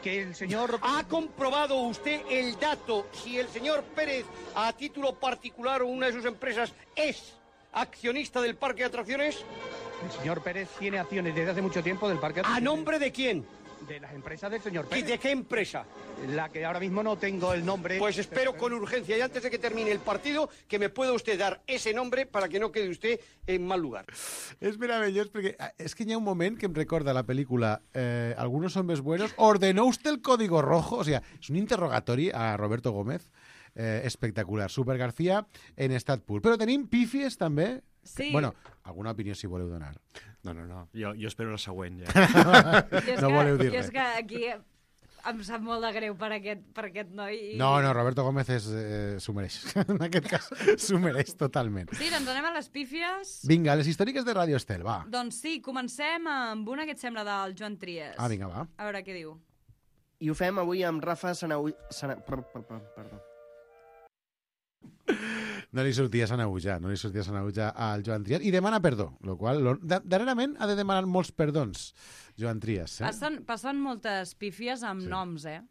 Que el señor... ¿Ha comprobado usted el dato si el señor Pérez, a título particular o una de sus empresas, es accionista del parque de atracciones? El señor Pérez tiene acciones desde hace mucho tiempo del parque de ¿A atracciones. nombre de quién? De las empresas del señor ¿Y Pérez. de qué empresa? La que ahora mismo no tengo el nombre. Pues espero con urgencia y antes de que termine el partido que me pueda usted dar ese nombre para que no quede usted en mal lugar. És meravellós perquè ah, és que hi ha un moment que em recorda la pel·lícula eh, Algunos hombres buenos. ¿Ordenó usted el código rojo? O sea, és un interrogatori a Roberto Gómez eh, espectacular. Super García en estat pur. Però tenim pífies també. Sí. Bueno, alguna opinió si voleu donar. No, no, no. Jo, jo espero la següent, ja. I és No que, voleu dir i és res. que aquí em sap molt de greu per aquest, per aquest noi. I... No, no, Roberto Gómez és, eh, s'ho mereix. En aquest cas, s'ho mereix totalment. Sí, doncs anem a les pífies. Vinga, les històriques de Radio Estel, va. Doncs sí, comencem amb una que et sembla del Joan Trias. Ah, vinga, va. A veure què diu. I ho fem avui amb Rafa Sanau... Sana... Per, per, per, perdó. No li sortia Sanaüja, no li sortia Sanaüja al Joan Trias. I demana perdó, lo qual, lo, da, darrerament ha de demanar molts perdons, Joan Trias. Eh? Passen, passen moltes pífies amb sí. noms, eh?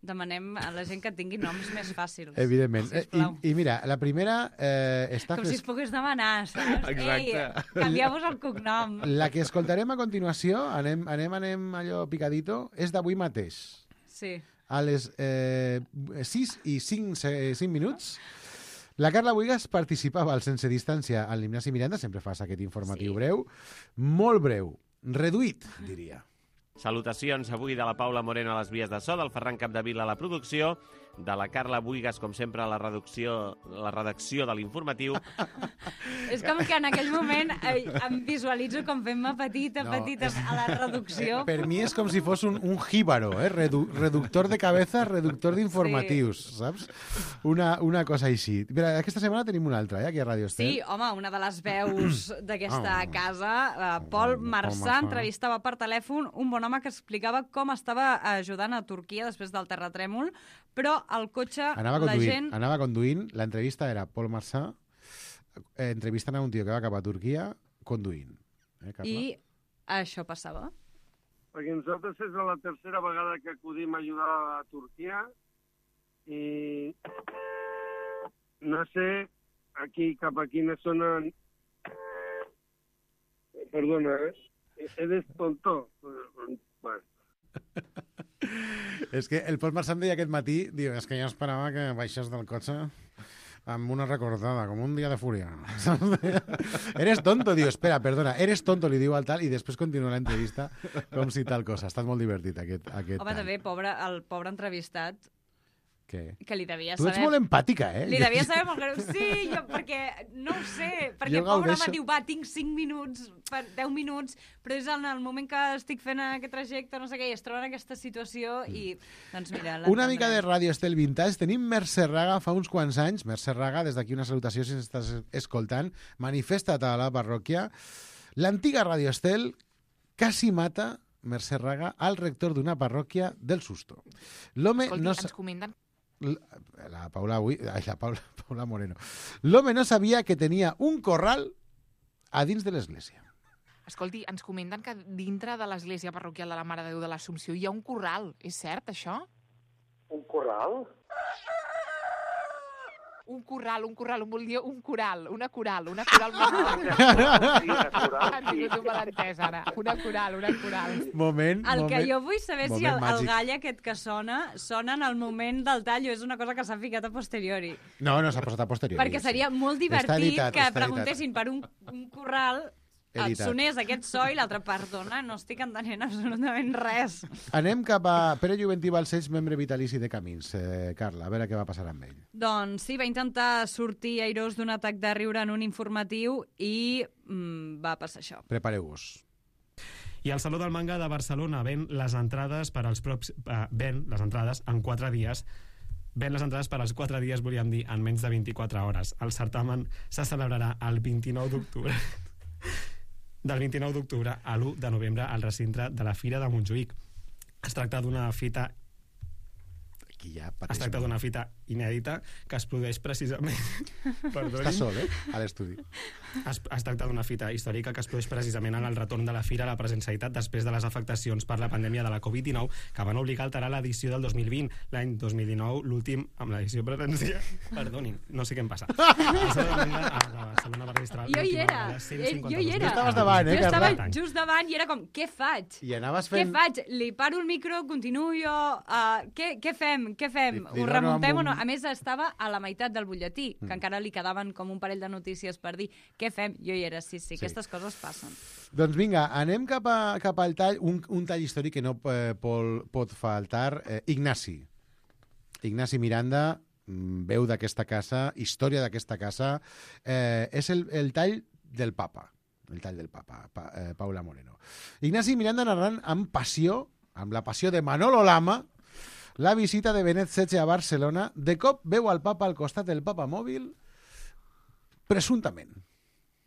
Demanem a la gent que tingui noms més fàcils. Evidentment. Eh, I, Sisplau. I mira, la primera eh, està... Com si es pogués demanar, saps? Exacte. Ei, canvieu-vos el cognom. La que escoltarem a continuació, anem, anem, anem allò picadito, és d'avui mateix. Sí. A les eh, sis i cinc, cinc minuts, la Carla Buigas participava al Sense Distància al l'Ignasi Miranda, sempre fas aquest informatiu sí. breu, molt breu, reduït, diria. Salutacions avui de la Paula Moreno a les vies de so, del Ferran Capdevila a la producció, de la Carla Buigas, com sempre, a la redacció, la redacció de l'informatiu. És com que en aquell moment eh, em visualitzo com fent-me petita, No, petita a la reducció. Per mi és com si fos un, un jíbaro, eh? Redu reductor de cabeza, reductor d'informatius, sí. saps? Una, una cosa així. Mira, aquesta setmana tenim una altra, eh, aquí a Radio Estel. Sí, home, una de les veus d'aquesta Ah. casa, uh, Pol Marçà, Marçà. entrevistava per telèfon un bon home que explicava com estava ajudant a Turquia després del terratrèmol, però el cotxe, Anava la conduint, gent... anava conduint, l'entrevista era Pol Marçà eh, entrevistant a un tio que va cap a Turquia conduint. Eh, Carla? I això passava. Perquè nosaltres és la tercera vegada que acudim a ajudar a Turquia i no sé aquí cap a quina zona... Perdona, eh? Eres tonto. Bueno. És que el Pol Marçà em deia aquest matí, diu, és que jo esperava que baixés del cotxe amb una recordada, com un dia de fúria. Eres tonto, diu, espera, perdona, eres tonto, li diu al tal, i després continua l'entrevista com si tal cosa. Ha estat molt divertit, aquest, aquest Home, tal. també, pobre, el pobre entrevistat, Què? que li devia Tu saber... ets molt empàtica, eh? Li devia saber molt greu. Sí, jo, perquè, no ho sé, perquè Jo pobre gaudeixo. home diu, va, tinc cinc minuts, per deu minuts, però és en el moment que estic fent aquest trajecte, no sé què, i es troba en aquesta situació i, doncs mira... Una mica de Ràdio Estel Vintage. Tenim Mercè Raga fa uns quants anys. Mercè Raga, des d'aquí una salutació si ens estàs escoltant. Manifesta't a la parròquia. L'antiga Ràdio Estel quasi mata, Mercè Raga, al rector d'una parròquia del Susto. L'home Escolti, no... ens comenten... La Paula avui... Ai, la Paula, Paula Moreno. L'home no sabia que tenia un corral a dins de l'església. Escolti, ens comenten que dintre de l'església parroquial de la Mare de Déu de l'Assumpció hi ha un corral. És cert, això? Un corral? Un corral, un corral, un, volia un coral, una coral, una coral. Han tingut un malentès, ara. Una coral, una coral. Moment, El moment, que jo vull saber si el, el màgic. gall aquest que sona, sona en el moment del tall o és una cosa que s'ha ficat a posteriori. No, no, s'ha posat a posteriori. Perquè seria molt Està divertit editat, que està preguntessin per un, un corral, et Editat. sonés aquest so i l'altre, perdona, no estic entenent absolutament res. Anem cap a Pere Juventí Balcells, membre vitalici de Camins. Eh, Carla, a veure què va passar amb ell. Doncs sí, va intentar sortir airós d'un atac de riure en un informatiu i mm, va passar això. Prepareu-vos. I el Saló del Manga de Barcelona ven les entrades per als props... Eh, ven les entrades en quatre dies. Ven les entrades per als quatre dies, volíem dir, en menys de vint-i-quatre hores. El certamen se celebrarà el vint-i-nou d'octubre. Del vint-i-nou d'octubre a l'u de novembre al recinte de la Fira de Montjuïc. Es tracta d'una fita Aquí ja es tracta d'una fita inèdita que es produeix precisament... Està sol, eh? A l'estudi. Es, es tracta d'una fita històrica que es produeix precisament en el retorn de la Fira a la presencialitat després de les afectacions per la pandèmia de la covid dinou que van obligar a alterar l'edició del dos mil vint. L'any dos mil dinou, l'últim, amb l'edició presencial... Perdonin, no sé què em passa. Jo hi era, eh, jo hi era. Tu estaves davant, eh, Jo estava Carla? just davant i era com, què faig? I anaves Què fent... faig? Li paro el micro, continuo jo... Uh, què, què fem? Què fem? Li- li Ho dono remuntem amb o no? un- A més, estava a la meitat del butlletí, que Mm. encara li quedaven com un parell de notícies per dir què fem? Jo hi era, sí, sí, Sí. aquestes coses passen. Doncs vinga, anem cap, a, cap al tall, un, un tall històric que no eh, pol, pot faltar. Eh, Ignasi. Ignasi Miranda, mm, veu d'aquesta casa, història d'aquesta casa. Eh, és el, el tall del papa. El tall del papa, pa, eh, Paula Moreno. Ignasi Miranda narrant amb passió, amb la passió de Manolo Lama, la visita de Benet setze a Barcelona. De cop veu al papa al costat del papamòbil, presumptament.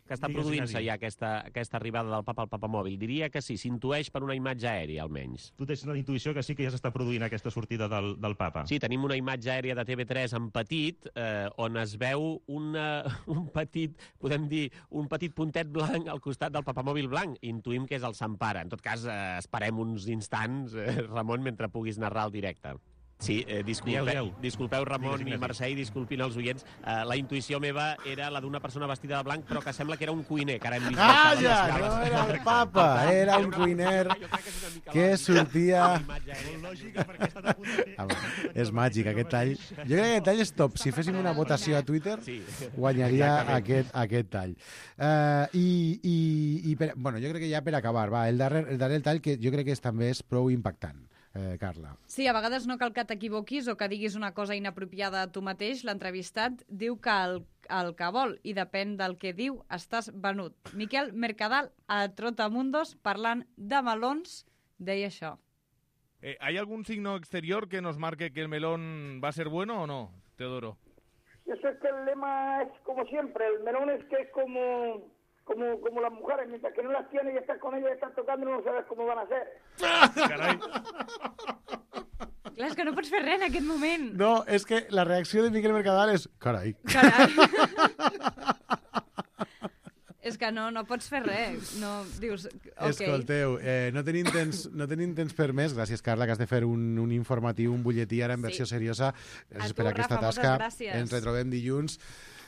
Que està Digues, produint-se Ignasi. ja aquesta, aquesta arribada del papa al papamòbil. Diria que sí, s'intueix per una imatge aèria, almenys. Tu tens una intuïció que sí que ja s'està produint aquesta sortida del, del papa. Sí, tenim una imatge aèria de T V tres en petit, eh, on es veu una, un petit, podem dir, un petit puntet blanc al costat del papamòbil blanc. Intuïm que és el Sant Pare. En tot cas, eh, esperem uns instants, eh, Ramon, mentre puguis narrar el directe. Sí, eh, disculpeu, Dieu, dieu. disculpeu Ramon Digues, i Ignasi. Mercè, i disculpin els oients. Eh, la intuïció meva era la d'una persona vestida de blanc, però que sembla que era un cuiner, que ara hem vist... Calla, baixar les no escales. era el papa, era un cuiner que sortia... Home, és màgic, aquest tall. Jo crec que aquest tall és top. Si féssim una votació a Twitter, guanyaria aquest, aquest tall. Uh, I i, i per, bueno, jo crec que ja per acabar, va, el darrer, el darrer tall que jo crec que és, també és prou impactant. Eh, Carla. Sí, a vegades no cal que t'equivoquis o que diguis una cosa inapropiada a tu mateix. L'entrevistat diu que el, el que vol i depèn del que diu estàs venut. Miquel Mercadal, a Trotamundos, parlant de melons, deia això. Eh, ¿Hay algún signo exterior que nos marque que el melón va a ser bueno o no, Teodoro? Yo sé que el lema es como siempre, el melón es que es como, como, como las mujeres, mientras que no las tienes y estás con ellas y estás tocando, no sabes cómo van a ser. Carai. Clar, és que no pots fer res en aquest moment. No, és que la reacció de Miquel Mercadal és... Carai. Carai. És que no, no pots fer res. No, dius, ok. Escolteu, eh, no, tenim temps, no tenim temps per més. Gràcies, Carla, que has de fer un, un informatiu, un butlletí ara en versió Sí. seriosa. Gràcies A tu, per aquesta Rafa, moltes tasca. gràcies. Ens retrobem dilluns.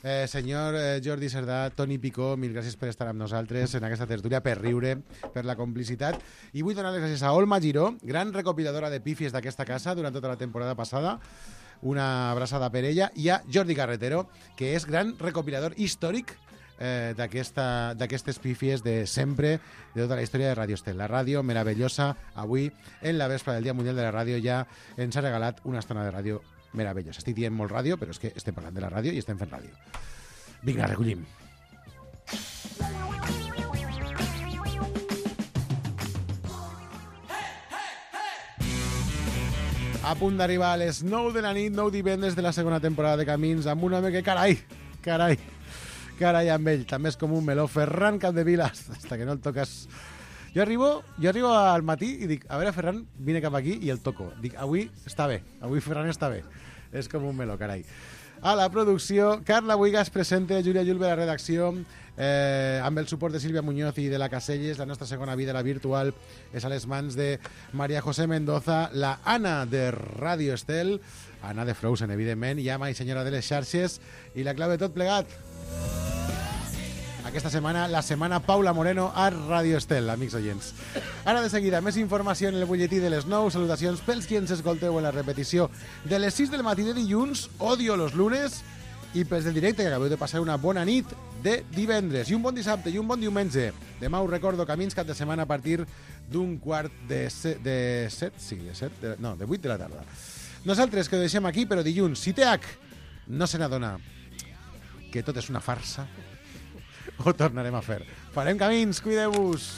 Eh, senyor eh, Jordi Cerdà, Toni Picó, mil gràcies per estar amb nosaltres en aquesta tertúlia, per riure, per la complicitat. I vull donar les gràcies a Olma Giró, gran recopiladora de pífies d'aquesta casa durant tota la temporada passada. Una abraçada per ella. I a Jordi Carretero, que és gran recopilador històric eh, d'aquestes pífies de sempre, de tota la història de Radio Estel. La ràdio meravellosa, avui, en la vespre del Dia Mundial de la Ràdio, ja ens ha regalat una estona de ràdio meravellosa. Estic dient molt ràdio, però és que estem parlant de la ràdio i estem fent ràdio. Vinga, recollim. A punt d'arribar a les nou de la nit, nou divendres de la segona temporada de Camins, amb un home que, carai, carai, carai amb ell, també és com un meló, Ferran Capdevila, hasta que no el toques. Jo arribo, jo arribo al matí i dic, a veure, Ferran, vine cap aquí i el toco. Dic, avui està bé, avui Ferran està bé. És com un meló, carai. A la producció, Carla Buigas presenta, Júlia Julve a la redacció, eh, amb el suport de Sílvia Muñoz i de la Caselles. La nostra segona vida, la virtual, és a les mans de María José Mendoza, la Anna de Radio Estel, Anna de Frozen, evidentment, i ama i senyora de les xarxes, i la clau de tot plegat. Aquesta setmana, la setmana Paula Moreno a Radio Estel, amics oients. Ara de seguida, més informació en el butlletí de les nou. Salutacions pels qui ens escolteu en la repetició de les sis del matí de dilluns, odio los lunes, i pels del directe, que acabeu de passar una bona nit de divendres, i un bon dissabte, i un bon diumenge. Demà us recordo, Camins cap de setmana a partir d'un quart de set, de set, sí, de set, de, no, de vuit de la tarda. Nosaltres que ho deixem aquí, però dilluns, si té H, no se n'adona que tot és una farsa, ho tornarem a fer. Farem camins, cuideu-vos!